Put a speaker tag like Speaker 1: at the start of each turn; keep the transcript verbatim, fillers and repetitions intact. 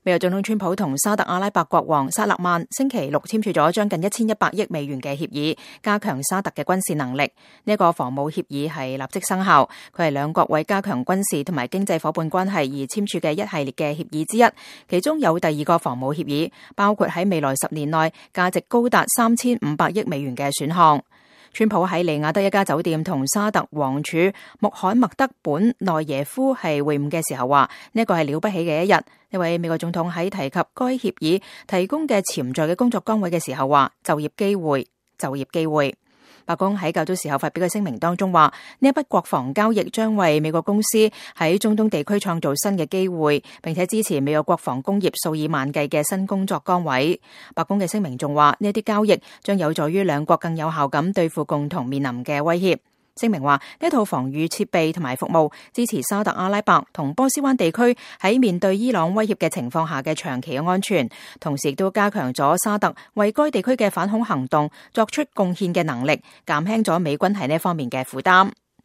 Speaker 1: 美國總統川普同沙特阿拉伯國王薩勒曼星期六簽署咗將近一千一百億美元嘅協議，加強沙特嘅軍事能力。呢一個防務協議係立即生效，佢係兩國為加強軍事同埋經濟夥伴關係而簽署嘅一系列嘅協議之一。其中有第二個防務協議，包括喺未來十年內價值高達三千五百億美元嘅選項。川普喺利雅得一家酒店同沙特王儲穆罕默德本內耶夫係會晤嘅時候話，呢一個係了不起嘅一日。呢位美國總統喺提及該協議提供嘅潛在嘅工作崗位嘅時候話，就業機會，就業機會。白宮喺較早時候發表嘅聲明當中話，呢一筆國防交易將為美國公司喺中東地區創造新嘅機會，並且支持美國國防工業數以萬計嘅新工作崗位。白宮嘅聲明仲話，呢啲交易將有助於兩國更有效咁對付共同面臨嘅威脅。聲明話，呢套防禦設備同埋服務支持沙特阿拉伯同波斯灣地區喺面對伊朗威脅嘅情況下嘅長期嘅安全，同時亦都加強咗沙特為該地區嘅反恐行動作出貢獻嘅能力，減輕咗美軍喺呢方面嘅負擔。